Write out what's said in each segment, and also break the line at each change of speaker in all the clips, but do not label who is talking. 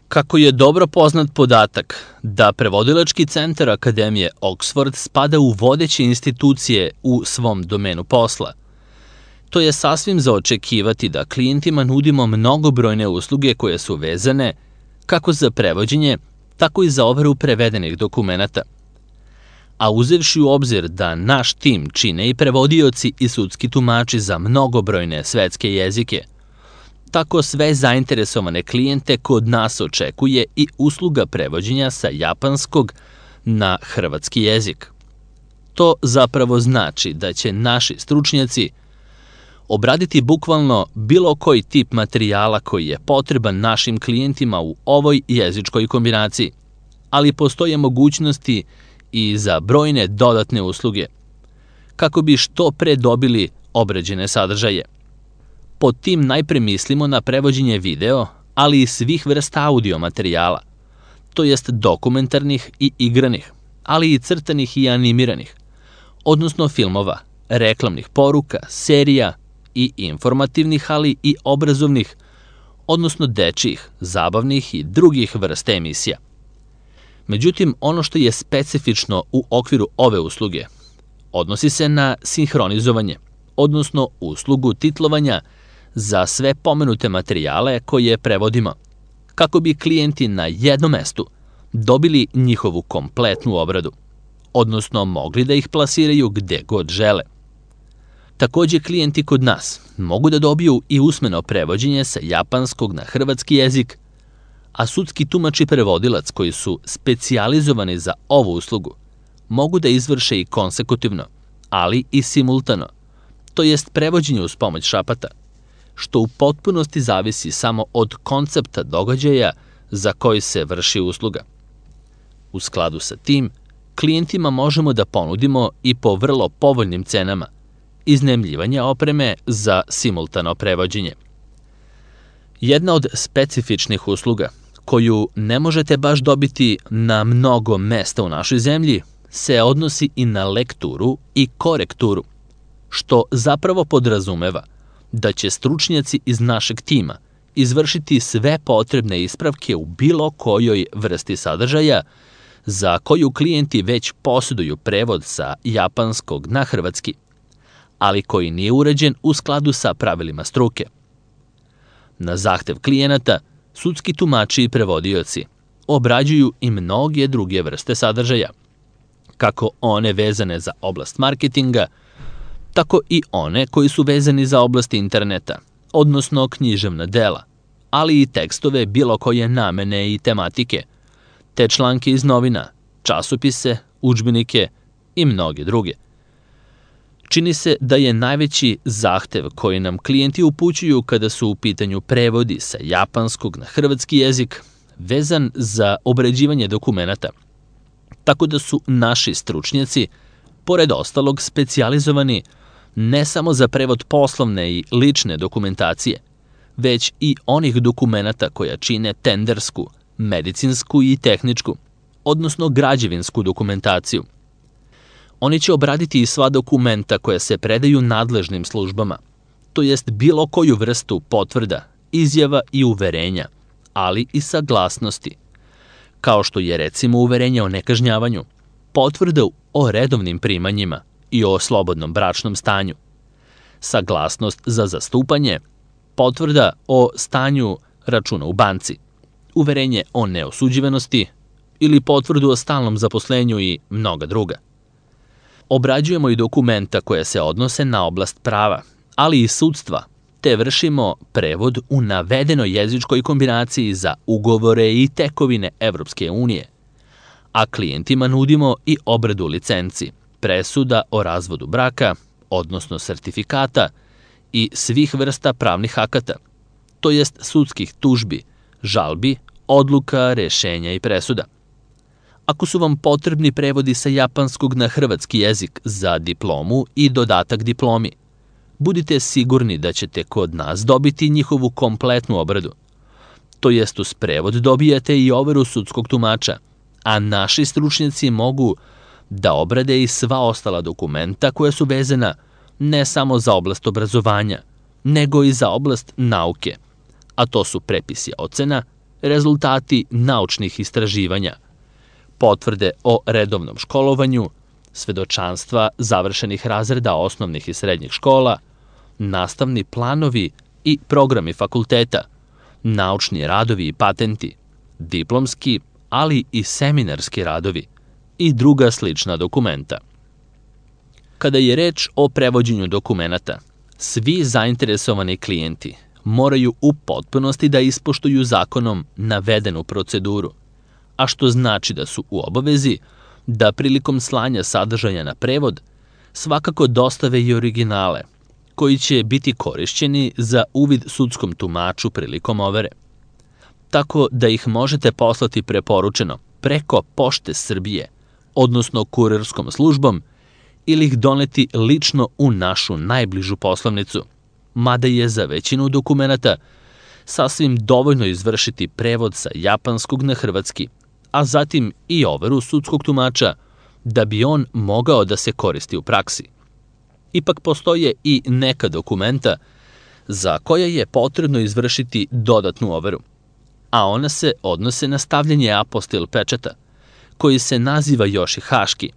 Kako je dobro poznat podatak da Prevodilački centar Akademije Oxford spada u vodeće institucije u svom domenu posla, to je sasvim za očekivati da klijentima nudimo mnogobrojne usluge koje su vezane kako za prevođenje, tako i za overu prevedenih dokumenata. A uzevši u obzir da naš tim čine i prevodioci i sudski tumači za mnogobrojne svetske jezike, tako sve zainteresovane klijente kod nas očekuje i usluga prevođenja sa japanskog na hrvatski jezik. To zapravo znači da će naši stručnjaci obraditi bukvalno bilo koji tip materijala koji je potreban našim klijentima u ovoj jezičkoj kombinaciji, ali postoje mogućnosti i za brojne dodatne usluge, kako bi što pre dobili obrađene sadržaje. Pod tim najpre mislimo na prevođenje video, ali i svih vrsta audio materijala, to jest dokumentarnih i igranih, ali i crtanih i animiranih, odnosno filmova, reklamnih poruka, serija i informativnih, ali i obrazovnih, odnosno dečjih, zabavnih i drugih vrsta emisija. Međutim, ono što je specifično u okviru ove usluge odnosi se na sinhronizovanje, odnosno uslugu titlovanja za sve pomenute materijale koje prevodimo, kako bi klijenti na jednom mestu dobili njihovu kompletnu obradu, odnosno mogli da ih plasiraju gde god žele. Takođe, klijenti kod nas mogu da dobiju i usmeno prevođenje sa japanskog na hrvatski jezik, a sudski tumač i prevodilac koji su specijalizovani za ovu uslugu mogu da izvrše i konsekutivno, ali i simultano, to jest prevođenje uz pomoć šapata, što u potpunosti zavisi samo od koncepta događaja za koji se vrši usluga. U skladu sa tim, klijentima možemo da ponudimo i po vrlo povoljnim cenama iznajmljivanje opreme za simultano prevođenje. Jedna od specifičnih usluga koju ne možete baš dobiti na mnogo mesta u našoj zemlji se odnosi i na lekturu i korekturu, što zapravo podrazumeva da će stručnjaci iz našeg tima izvršiti sve potrebne ispravke u bilo kojoj vrsti sadržaja za koju klijenti već posjeduju prevod sa japanskog na hrvatski, ali koji nije uređen u skladu sa pravilima struke. Na zahtev klijenata, sudski tumači i prevodioci obrađuju i mnoge druge vrste sadržaja, kako one vezane za oblast marketinga, tako i one koji su vezani za oblast interneta, odnosno književna dela, ali i tekstove bilo koje namene i tematike, te članke iz novina, časopise, udžbenike i mnoge druge. Čini se da je najveći zahtev koji nam klijenti upućuju kada su u pitanju prevodi sa japanskog na hrvatski jezik vezan za obrađivanje dokumenata, tako da su naši stručnjaci, pored ostalog, specijalizovani ne samo za prevod poslovne i lične dokumentacije, već i onih dokumenata koja čine tendersku, medicinsku i tehničku, odnosno građevinsku dokumentaciju. Oni će obraditi i sva dokumenta koja se predaju nadležnim službama, to jest bilo koju vrstu potvrda, izjava i uverenja, ali i saglasnosti, kao što je recimo uverenje o nekažnjavanju, potvrda o redovnim primanjima i o slobodnom bračnom stanju, saglasnost za zastupanje, potvrda o stanju računa u banci, uverenje o neosuđivanosti ili potvrdu o stalnom zaposlenju i mnoga druga. Obrađujemo i dokumenta koje se odnose na oblast prava, ali i sudstva, te vršimo prevod u navedenoj jezičkoj kombinaciji za ugovore i tekovine Evropske unije, a klijentima nudimo i obradu licenci, presuda o razvodu braka, odnosno sertifikata i svih vrsta pravnih akata, to jest sudskih tužbi, žalbi, odluka, rešenja i presuda. Ako su vam potrebni prevodi sa japanskog na hrvatski jezik za diplomu i dodatak diplomi, budite sigurni da ćete kod nas dobiti njihovu kompletnu obradu. To jest uz prevod dobijate i overu sudskog tumača, a naši stručnjaci mogu da obrade i sva ostala dokumenta koja su vezana ne samo za oblast obrazovanja, nego i za oblast nauke, a to su prepisi ocena, rezultati naučnih istraživanja, potvrde o redovnom školovanju, svedočanstva završenih razreda osnovnih i srednjih škola, nastavni planovi i programi fakulteta, naučni radovi i patenti, diplomski, ali i seminarski radovi i druga slična dokumenta. Kada je reč o prevođenju dokumenata, svi zainteresovani klijenti moraju u potpunosti da ispoštuju zakonom navedenu proceduru, a što znači da su u obavezi da prilikom slanja sadržaja na prevod svakako dostave i originale, koji će biti korišćeni za uvid sudskom tumaču prilikom overe. Tako da ih možete poslati preporučeno preko Pošte Srbije, odnosno kurirskom službom, ili ih doneti lično u našu najbližu poslovnicu, mada je za većinu dokumenata sasvim dovoljno izvršiti prevod sa japanskog na hrvatski, a zatim i overu sudskog tumača da bi on mogao da se koristi u praksi. Ipak postoje i neka dokumenta za koje je potrebno izvršiti dodatnu overu, a ona se odnose na stavljanje apostil pečata, koji se naziva još i haški,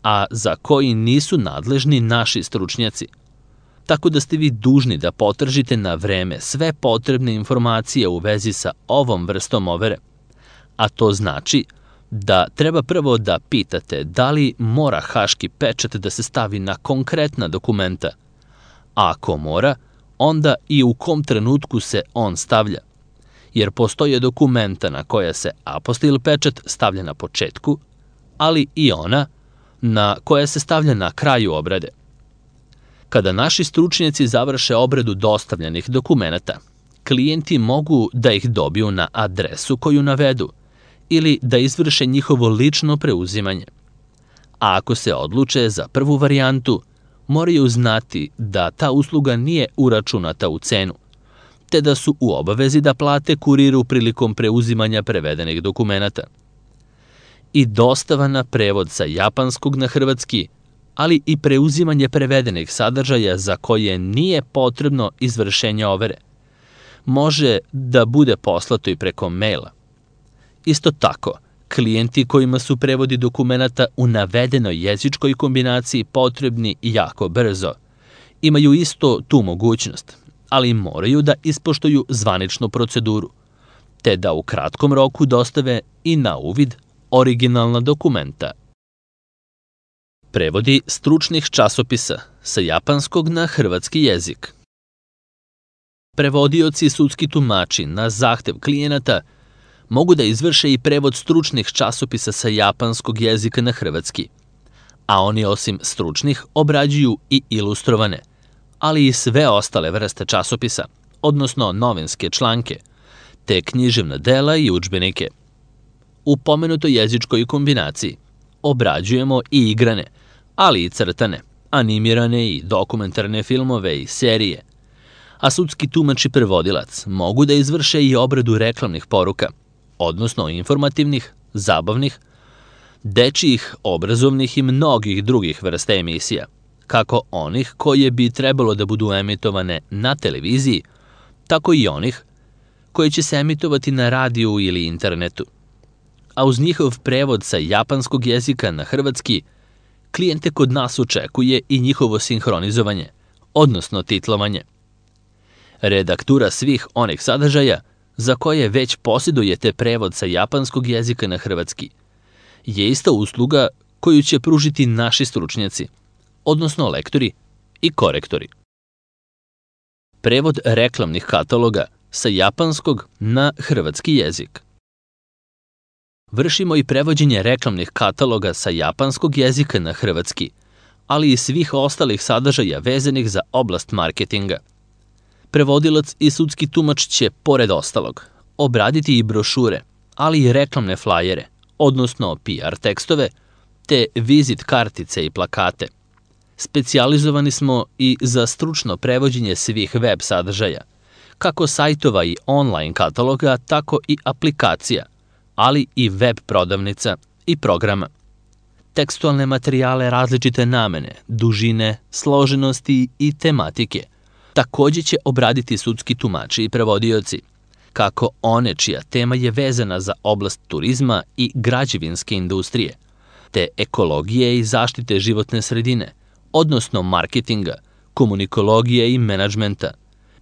a za koji nisu nadležni naši stručnjaci. Tako da ste vi dužni da potržite na vreme sve potrebne informacije u vezi sa ovom vrstom overe, a to znači da treba prvo da pitate da li mora haški pečat da se stavi na konkretna dokumenta, a ako mora, onda i u kom trenutku se on stavlja, jer postoje dokumenta na koja se apostil pečat stavlja na početku, ali i ona na koja se stavlja na kraju obrade. Kada naši stručnjaci završe obradu dostavljenih dokumenata, klijenti mogu da ih dobiju na adresu koju navedu ili da izvrše njihovo lično preuzimanje. A ako se odluče za prvu varijantu, moraju znati da ta usluga nije uračunata u cenu, te da su u obavezi da plate kuriru prilikom preuzimanja prevedenih dokumenata. I dostava na prevod sa japanskog na hrvatski, ali i preuzimanje prevedenih sadržaja za koje nije potrebno izvršenje overe, može da bude poslato i preko maila. Isto tako, klijenti kojima su prevodi dokumenata u navedenoj jezičkoj kombinaciji potrebni jako brzo, imaju isto tu mogućnost, ali moraju da ispoštuju zvaničnu proceduru, te da u kratkom roku dostave i na uvid originalna dokumenta. Prevodi stručnih časopisa sa japanskog na hrvatski jezik. Prevodioci i sudski tumači na zahtev klijenata mogu da izvrše i prevod stručnih časopisa sa japanskog jezika na hrvatski, a oni osim stručnih obrađuju i ilustrovane, ali i sve ostale vrste časopisa, odnosno novinske članke, te književna dela i udžbenike. U pomenutoj jezičkoj kombinaciji obrađujemo i igrane, ali i crtane, animirane i dokumentarne filmove i serije, a sudski tumač i prevodilac mogu da izvrše i obradu reklamnih poruka, odnosno informativnih, zabavnih, dečijih, obrazovnih i mnogih drugih vrsta emisija, kako onih koje bi trebalo da budu emitovane na televiziji, tako i onih koje će se emitovati na radiju ili internetu. A uz njihov prevod sa japanskog jezika na hrvatski, klijente kod nas očekuje i njihovo sinhronizovanje, odnosno titlovanje. Redaktura svih onih sadržaja za koje već posjedujete prevod sa japanskog jezika na hrvatski je ista usluga koju će pružiti naši stručnjaci, odnosno lektori i korektori. Prevod reklamnih kataloga sa japanskog na hrvatski jezik. Vršimo i prevođenje reklamnih kataloga sa japanskog jezika na hrvatski, ali i svih ostalih sadržaja vezanih za oblast marketinga. Prevodilac i sudski tumač će, pored ostalog, obraditi i brošure, ali i reklamne flajere, odnosno PR tekstove, te vizit kartice i plakate. Specijalizovani smo i za stručno prevođenje svih web sadržaja, kako sajtova i online kataloga, tako i aplikacija, ali i web prodavnica i programa. Tekstualne materijale različite namene, dužine, složenosti i tematike takođe će obraditi sudski tumači i prevodioci, kako one čija tema je vezana za oblast turizma i građevinske industrije, te ekologije i zaštite životne sredine, odnosno marketinga, komunikologije i menadžmenta.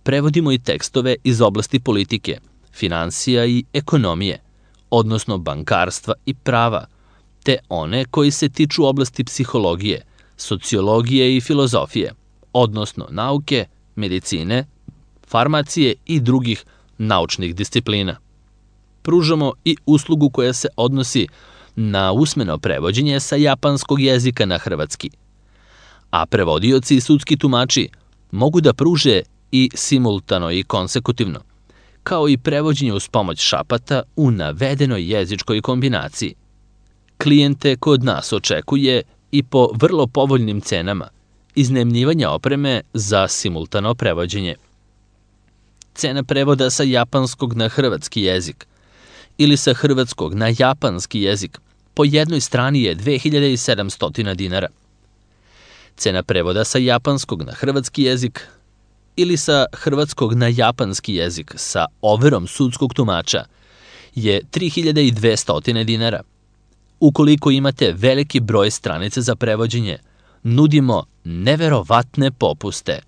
Prevodimo i tekstove iz oblasti politike, finansija i ekonomije, odnosno bankarstva i prava, te one koji se tiču oblasti psihologije, sociologije i filozofije, odnosno nauke, medicine, farmacije i drugih naučnih disciplina. Pružamo i uslugu koja se odnosi na usmeno prevođenje sa japanskog jezika na hrvatski, a prevodioci i sudski tumači mogu da pruže i simultano i konsekutivno, kao i prevođenje uz pomoć šapata u navedenoj jezičkoj kombinaciji. Klijente kod nas očekuje i po vrlo povoljnim cenama iznajmljivanja opreme za simultano prevođenje. Cena prevoda sa japanskog na hrvatski jezik ili sa hrvatskog na japanski jezik po jednoj strani je 2700 dinara. Cena prevoda sa japanskog na hrvatski jezik ili sa hrvatskog na japanski jezik sa overom sudskog tumača je 3200 dinara. Ukoliko imate veliki broj stranica za prevođenje, nudimo neverovatne popuste.